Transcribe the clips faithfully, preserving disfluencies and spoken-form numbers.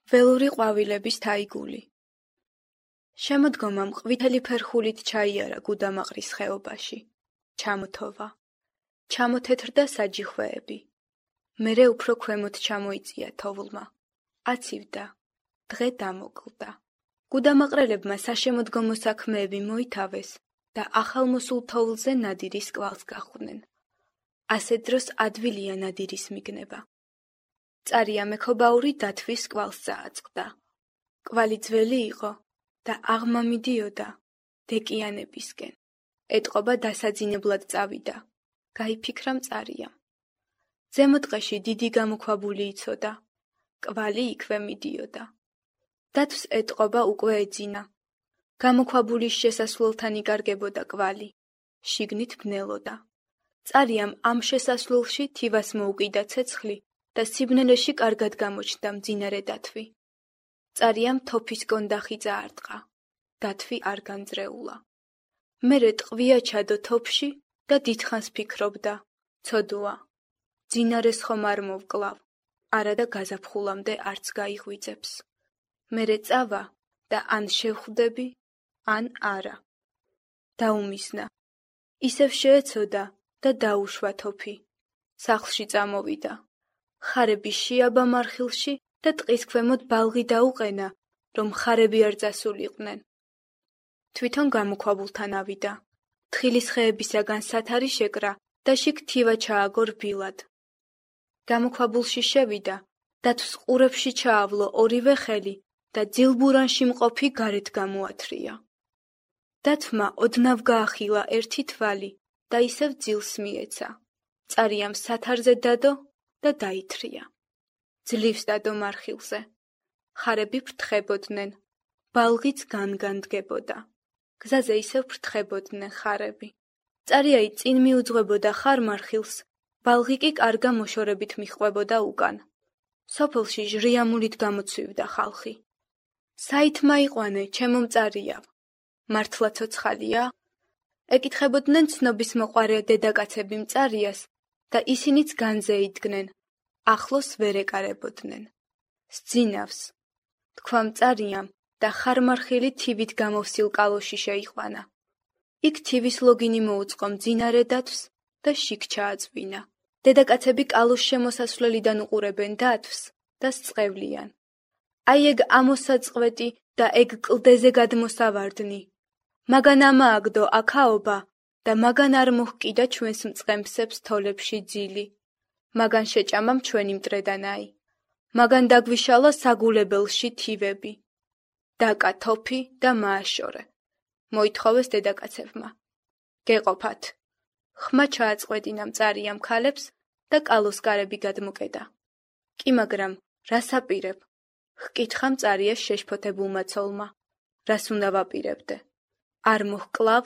ველური ყვავილების თაიგული. შემოდგომამ ყვითელი ფერხულით ჩაიარა გუდამაყრის ხეობაში. ჩამოთოვა. ჩამოთეთრდა საჯიხვეები. მერე უფრო ქვემოთ ჩამოიწია თოვლმა. აცივდა. დღე დამოკლდა. გუდამაყრელებმა საშემოდგომო საქმეები მოითავეს და ახალმოსულ თოვლზე ნადირის კვალს გახვდნენ. ასე დროს ადვილია ნადირის მიგნება. წარია მექობაური დათვის კვალს წააწყდა. კვალი ძველი იყო და აღმა მიდიოდა დეკიანებისკენ. ეტყობა დასაძინებლად წავიდა. გაიფიქრა მწარიამ. ზემო ტყეში დიდი გამოქვაბული იცოდა. კვალი იქვე მიდიოდა. დათვს ეტყობა უკვე ეძინა. გამოქვაბულის შესასვლელთან იკარგებოდა კვალი. შიგნით ბნელოდა. წარიამ ამ შესასვლელში თივას მოუკიდა ცეცხლი და სიბნელეში კარგად გამოჩნდა მძინარე დათვი. წარიამ თოფის კონდახი წაარტყა. დათვი არ განძრეულა. მერე ტყვია ჩადო თოფში და დიდხანს ფიქრობდა. ცოდოა. მძინარეს ხომ არ მოვკლავ. არადა გაზაფხულამდე არც გაიღვიძებს. მერე წავა და ან შევხვდები, ან არა. დაუმისნა. ისევ შეეცოდა და დაუშვა თოფი. სახლში წამოვიდა. ხარები შეაბა მარხილში და ტყის ქვემოთ ბალღი დაუყენა, რომ ხარები არ წასულიყვნენ. თვითონ გამოქვაბულთან ავიდა. თხილის ხეებისაგან სათარი შეკრა და შიგ თივა ჩააგო რბილად. გამოქვაბულში შევიდა, დათვს ყურებში ჩაავლო ორივე ხელი და ძილბურანში მყოფი გარეთ გამოათრია. დათვმა ოდნავ გაახილა ერთი თვალი და ისევ ძილს მიეცა. წარიამ სათარზე დადო და დაითრია. ძლივს დადო მარხილზე. ხარები ფრთხებოდნენ. ბალღიც განგანდგებოდა. გზაზე ისევ ფრთხებოდნენ ხარები. წარიაი წინ მიუძღვებოდა ხარ მარხილს, ბალღი კი კარგა მოშორებით მიჰყვებოდა უკან. სოფელში ჟრიამულით გამოცვივდა ხალხი. საით მაიყვანე, ჩემო მწარიავ? მართლა ცოცხალია? ეკითხებოდნენ ცნობის მოყარე დედაკაცები მწარიას და ისინიც განზე იდგნენ. ახლოს ვერ ეკარებოდნენ. სძინავს. თქვა მწარიამ და ხარმარხილი თივით გამოვსილ კალოში შეიყვანა. იქ თივის ლოგინი მოუწყო მძინარე დათვს და შიგ ჩააწვინა. დედაკაცები კალოს შემოსასვლელიდან უყურებენ დათვს და სწყევლიან. აი ეგ ამოსაწყვეტი და ეგ კლდეზე გადმოსავარდნი. მაგან ამააგდო აქაობა და მაგან არ მოჰკიდა ჩვენს მწყემსებს თოლებში ძილი. მაგან შეჭამამ ჩვენი მტრედანაი. მაგან დაგვიშალა საგულებელში თივები. დაკა თოფი და მააშორე. მოითხოვეს დედაკაცებმა. გეყოფათ. ხმა ჩააწყვეტინა მწარიამ ქალებს და კალოს კარები გადმოკედა. კი მაგრამ რას აპირებ? ჰკითხა მწარიას შეშფოთებულმა ცოლმა. რას უნდა ვაპირებდე? არ მოჰკლავ?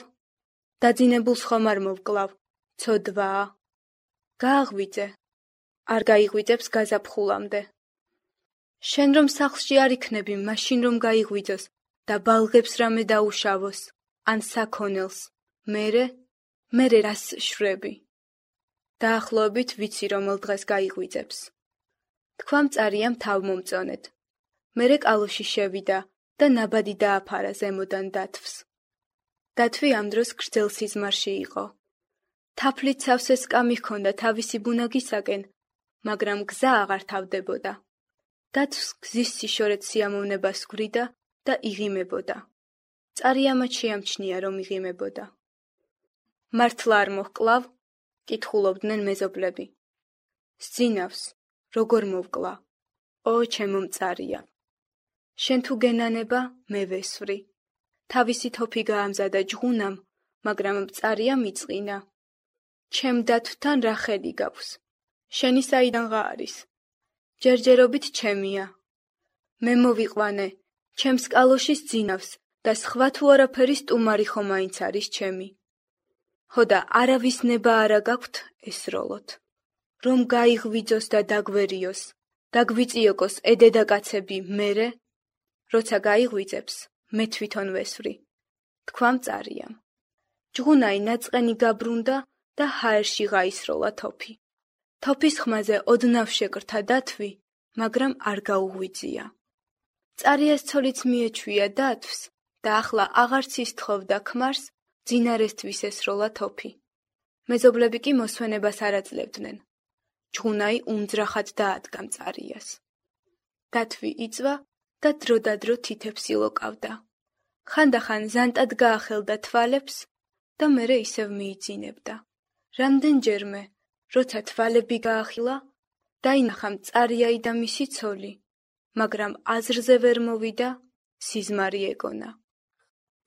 დაძინებულს ხომ არ მოვკლავ? ცოდვაა. გააღვიძე. არ გაიღვიძებს გაზაფხულამდე. შენ რომ სახლში არ იქნები, მაშინ რომ გაიღვიძოს და ბალღებს რამე დაუშავოს, ან საქონელს. მერე, მერე რას შვრები? დაახლოებით ვიცი რომელ დღეს გაიღვიძებს. თქვა მწარიამ თავმომწონედ. მერე კალოში შევიდა და ნაბადი დააფარა ზემოდან დათვს. დათვი ამ დროს გრძელ სიზმარში იყო. თაფლით სავსე სკამი ჰქონდა თავისი ბუნაგისაკენ, მაგრამ გზა აღარ თავდებოდა. დათვს გზის სიშორეთ სიამოვნებას გვრიდა და იღიმებოდა. წარიამაც შეამჩნია, რომ იღიმებოდა. მართლა არ მოჰკლავ? კითხულობდნენ მეზობლები. სძინავს, როგორ მოვკლა? ო, ჩემო მწარია. შენ თუ გენანება, მე ვესვრი. თავისი თოფი გაამზადა ჯღუნამ, მაგრამ მწარია მიწყინა. ჩემ დათვთან რა ხელი გაქვს? შენი საიდანღა არის? ჯერჯერობით ჩემია. მე მოვიყვანე, ჩემს კალოში სძინავს და სხვა თუ არაფერი სტუმარი ხომ მაინც არის ჩემი. ჰოდა არავის ნება არა გაქვთ ესროლოთ. რომ გაიღვიძოს და დაგვერიოს, დაგვიწიოკოს ედედაკაცები მერე, როცა გაიღვიძებს, მე თვითონ ვესვრი. თქვა მწარიამ. ჯღუნაი ნაწყენი გაბრუნდა და ჰაერში გაისროლა თოფი. თოფის ხმაზე ოდნავ შეკრთა დათვი, მაგრამ არ გაუღვიძია. წარიას ცოლიც მიეჩვია დათვს და ახლა აღარც ის თხოვდა ქმარს ძინარესთვის ესროლა თოფი. მეზობლები კი მოსვენებას არ აძლევდნენ. ჯღუნაი უმძრახად დაადგა მწარიას. დათვი იწვა და დროდადრო თითებს ილოკავდა. ხანდახან ზანტად გაახელდა თვალებს და მერე ისევ მიიძინებდა. რამდენჯერმე, როცა თვალები გაახილა, დაინახა მწარიაი და მისი ცოლი, მაგრამ აზრზე ვერ მოვიდა, სიზმარი ეგონა.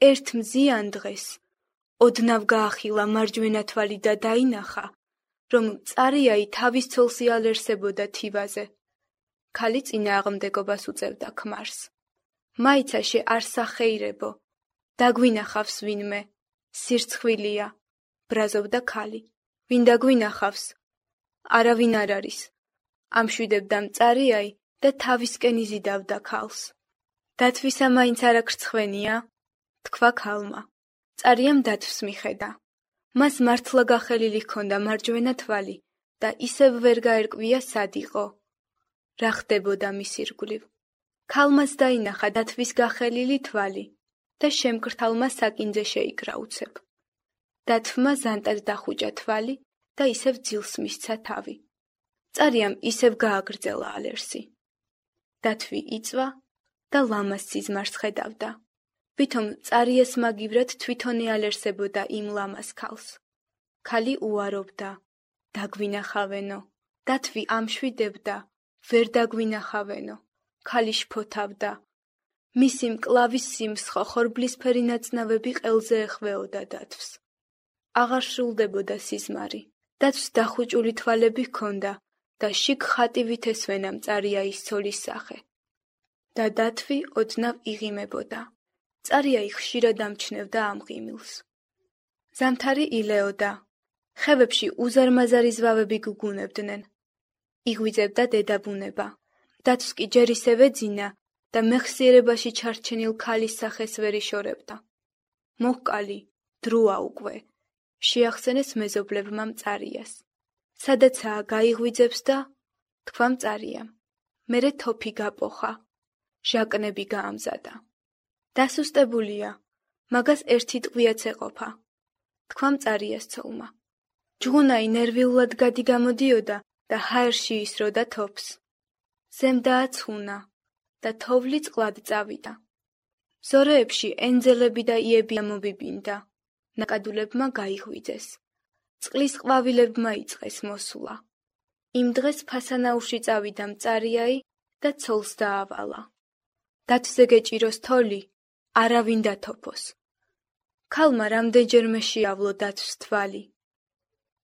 ერთ მზიან დღეს ოდნავ გაახილა მარჯვენა თვალი და დაინახა, რომ მწარიაი თავის ცოლს იალერსებოდა თივაზე. ქალი წინააღმდეგობას უწევდა ქმარს. მაიცაშე არ სახეირებო, დაგვინახავს ვინმე, სირცხვილია, ბრაზობდა ქალი. ვინ დაგვინახავს? არავინ არ არის. ამშვიდებდა მწარიაი და თავისკენ იზიდავდა ქალს. დათვისა მაინც არა ქრცხვენია? თქვა ქალმა. მწარიამ დათვს მიხედა. მას მართლა გახელილი ჰქონდა მარჯვენა თვალი და ისევ ვერ გაერკვია სად იყო. რა ხდებოდა მის ირგვლივ? ქალმაც დაინახა დათვის გახელილი თვალი და შემკრთალმა საკინძე შეიკრა უცებ. დათვმა ზანტად დახუჭა თვალი და ისევ ძილს მისცა თავი. მწარიამ ისევ გააგრძელა ალერსი. დათვი იწვა და ლამას სიზმარს ხედავდა. ვითომ მწარიას მაგივრად თვითონ ეალერსებოდა იმ ლამას ქალს. ქალი უარობდა, დაგვინახავენო. დათვი ამშვიდებდა, ვერ დაგვინახავენო. ქალი შფოთავდა. მისი მკლავის სიმსხო ხორბლისფერი ნაწნავები ყელზე ეხვეოდა დათვს. აღარ სრულდებოდა სიზმარი. დათვს დახუჭული თვალები ჰქონდა და შიგ ხატივით ესვენა მწარიაის ცოლის სახე. და დათვი ოდნავ იღიმებოდა. მწარიაი ხშირად ამჩნევდა ამ ღიმილს. ზამთარი ილეოდა. ხევებში უზარმაზარი ზვავები გუგუნებდნენ. იღვიძებდა დედაბუნება. დათვს კი ჯერ ისევ ეძინა და მეხსიერებაში ჩარჩენილ ქალის სახეს ვერ იშორებდა. მოჰკალი, დროა უკვე. შეახსენეს მეზობლებმა მწარიას. სადაცაა გაიღვიძებს და თქვა მწარიამ. მერე თოფი გაპოხა. ჟაკნები გაამზადა. დასუსტებულია, მაგას ერთი ტყვიაც ეყოფა. თქვა მწარიას ცოლმა. ჯღუნაი ნერვიულად გადი გამოდიოდა და ჰაერში ისროდა თოფს. ზემ დააცხუნა და თოვლი წყლად წავიდა. ზორეებში ენძელები და იები ამობიბინდა. ნაკადულებმა გაიღვიძეს. წყლის ყვავილებმა იწყეს მოსვლა. იმ დღეს ფასანაურში წავიდა მწარიაი და ცოლს დაავალა. დათვზე გეჭიროს თოლი, არავინ დათოფოს. ქალმა რამდენჯერმე შეავლო დათვს თვალი.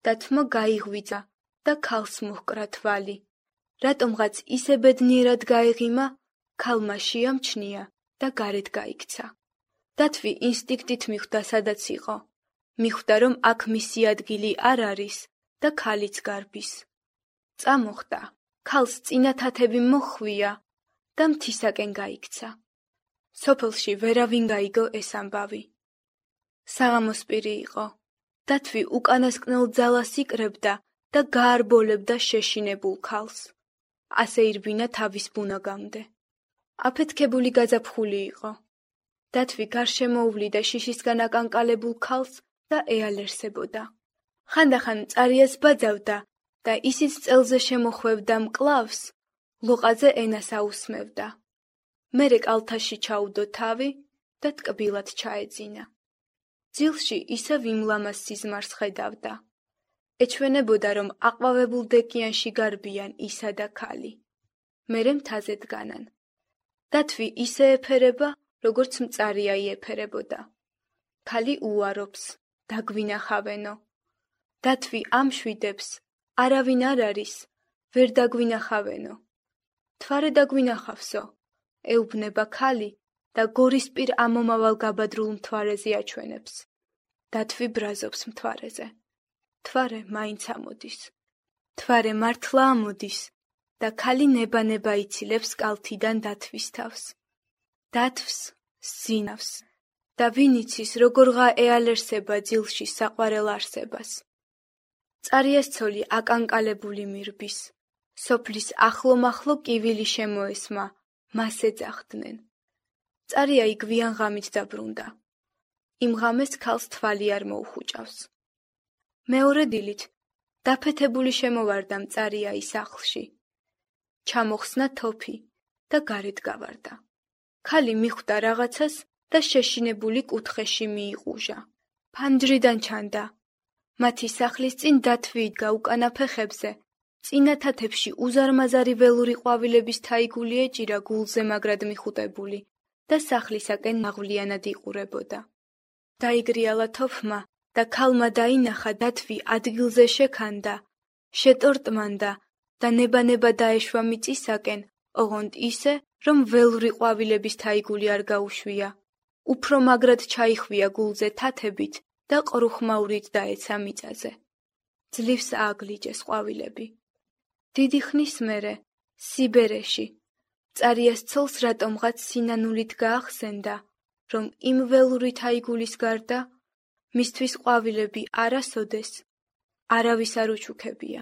დათვმა გაიღვიძა და ქალს მოჰკრა თვალი. რატომღაც ისე ბედნიერად გაეღიმა, ქალმა შეამჩნია და გარეთ გაიქცა. დათვი ინსტინქტით მიხვდა სადაც იყო. მიხვდა რომ აქ მისი ადგილი არ არის და ქალიც გარბის. წამოხდა, ქალს წინა თათები მოხვია და მთისაკენ გაიქცა. სოფელში ვერავინ გაიგო ეს ამბავი. საღამოს პირი იყო. დათვი უკანასკნელ ძალას იკრებდა და გაარბოლებდა შეშინებულ ქალს. ასე ირბინა თავის ბუნაგამდე. აფეთქებული გაზაფხული იყო. დათვი გარშემოუვლიდა შიშისგან აკანკალებულ ქალს და ეალერსებოდა. ხანდახან მწარიას ბაძავდა და ისიც წელზე შემოხვევდა მკლავს, ლოყაზე ენას აუსმევდა. მერე კალთაში ჩაუდო თავი და ტკბილად ჩაეძინა. ძილში ისევ იმ ლამას სიზმარს ხედავდა. ეჩვენებოდა რომ აყვავებულ დეკიანში გარბიან ისა და ქალი. მერე მთაზე დგანან. დათვი ისე ეფერება, როგორც მწარიაი ეფერებოდა. ქალი უარობს, დაგვინახავენო. დათვი ამშვიდებს, არავინ არ არის, ვერ დაგვინახავენო. თვარე დაგვინახავსო, ეუბნება ქალი და გორისპირ ამომავალ გაბადრულ მთვარეზე აჩვენებს. დათვი ბრაზობს მთვარეზე. თვარე მაინც ამოდის. თვარე მართლა ამოდის და ქალი ნება-ნება იცილებს კალთიდან დათვის თავს. დათვს სძინავს და ვინ იცის როგორღა ეალერსება ძილში საყვარელ არსებას. მწარიას ცოლი აკანკალებული მირბის. სოფლის ახლო-მახლო კივილი შემოესმა, მას ეძახდნენ. წარია იგვიან ღამით დაბრუნდა. იმ ღამეს ქალს თვალი არ მოუხუჭავს. მეორე დილით დაფეთებული შემოვარდა მწარია ის სახლში. ჩამოხსნა თოფი და გარეთ გავარდა. ქალი მიხვდა რაღაცას და შეშინებული კუთხეში მიიყუჟა. ფანჯრიდან ჩანდა. მათი სახლის წინ დათვი იდგა უკანა ფეხებზე. წინა თათებში უზარმაზარი ველური ყვავილების თაიგული ეჭირა გულზე მაგრად მიხუტებული და სახლისაკენ მაღვლიანად იყურებოდა. დაიგრიალა თოფმა და ქალმა დაინახა დათვი ადგილზე შექანდა, შეტორტმანდა და ნება-ნება დაეშვა მიწისაკენ, ოღონდ ისე, რომ ველური ყვავილების თაიგული არ გაუშვია. უფრო მაგრად ჩაიხვია გულზე თათებით და ყრუხმაურით დაეცა მიწაზე. ძლივს ააგლიჯეს ყვავილები. დიდი ხნის მერე, სიბერეში, მწარიას ცოლს რატომღაც სინანულით გაახსენდა, რომ იმ ველური თაიგულის გარდა, მისთვის ყვავილები არასოდეს არავის არ უჩუქებია.